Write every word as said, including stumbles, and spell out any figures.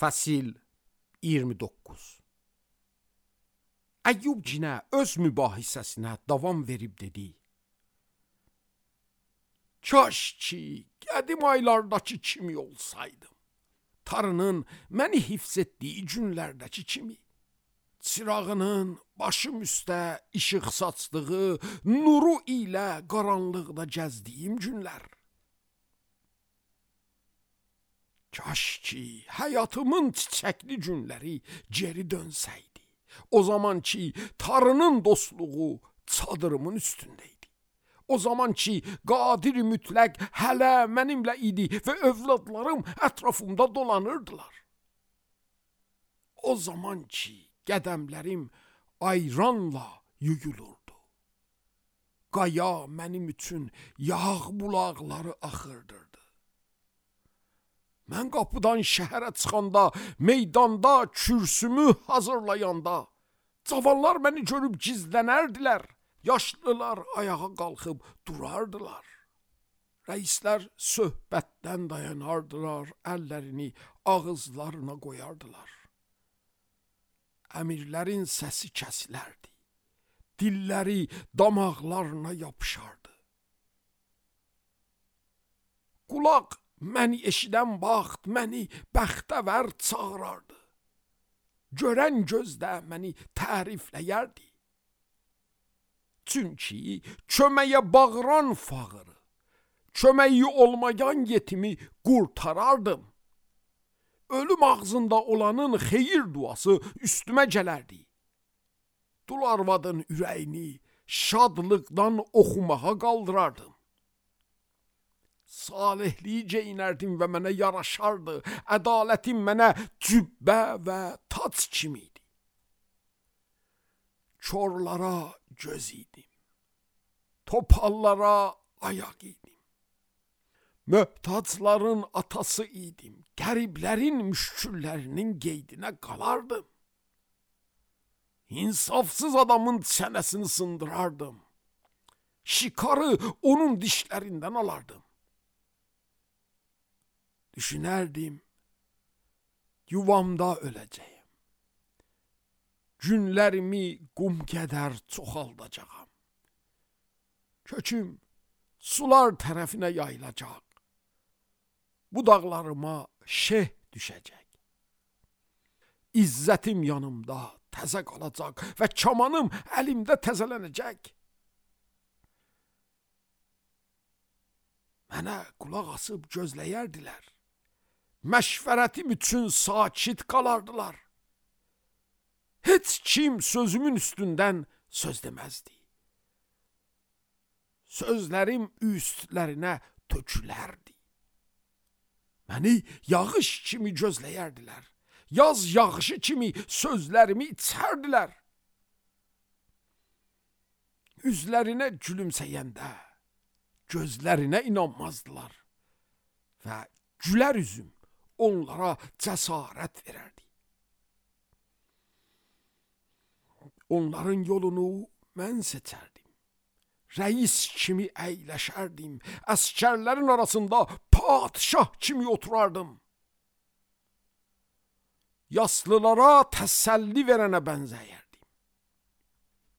Fəsil iyirmi doqquz. Əyyub cinə öz mübahisəsinə davam verib dedi: Kaş ki, qədim aylardakı kimi olsaydım. Tarının məni hifz etdiyi günlərdəki kimi. Çırağının başım üstə işıq saçdığı nuru ilə qaranlıqda gəzdiyim günlər. Kaş ki, həyatımın çiçəkli günləri geri dönsəydi. O zaman ki, Tarının dostluğu çadırımın üstündeydi. O zaman ki, qadir mütləq hələ mənimlə idi və övladlarım ətrafımda dolanırdılar. O zaman ki, qədəmlərim ayranla yuyulurdu. Qaya mənim üçün yağ bulaqları axırdırdı. Mən qapıdan şəhərə çıxanda, meydanda kürsümü hazırlayanda, cavanlar məni görüb gizlənərdilər, yaşlılar ayağa qalxıb durardılar. Rəislər söhbətdən dayanardılar, əllərini ağızlarına qoyardılar. Əmirlərin səsi kəsilərdi, dilləri damaqlarına yapışardı. Qulaq məni eşidən vaxt məni bəxtəvər çağırardı. Görən gözdə məni tərifləyərdi. Çünki köməyə bağıran fağırı, köməyi olmayan yetimi qurtarardım. Ölüm ağzında olanın xeyir duası üstümə gələrdi. Dul arvadın ürəyini şadlıqdan oxumağa qaldırardım. Salihliyi geyinərdim və mənə yaraşardı. Ədalətim mənə cübbə və tac kimiydi. Korlara göz idim. Topallara ayaq idim. Möhtacların atası idim. Qəriblərin müşküllərinin qeydinə qalardım. İnsafsız adamın çənəsini sındırardım. Şikarı onun dişlərindən alardım. Düşünərdim, yuvamda öləcəyim. Günlərimi qum qədər çoxaldacağam. Köküm sular tərəfinə yayılacaq. Budaqlarıma şeh düşəcək. İzzətim yanımda təzə qalacaq və kamanım əlimdə təzələnəcək. Mənə qulaq asıb gözləyərdilər. Məşvərətim üçün sakit qalardılar. Heç kim sözümün üstündən söz deməzdi. Sözlərim üstlərinə tökülərdi. Məni yağış kimi gözləyərdilər. Yaz yağışı kimi sözlərimi içərdilər. Üzlərinə gülümsəyəndə gözlərinə inanmazdılar və gülər üzüm onlara cəsarət verərdi. Onların yolunu mən seçərdim. Rəis kimi əyləşərdim. Əskərlərin arasında padişah kimi oturardım. Yaslılara təsəlli verənə bənzəyər.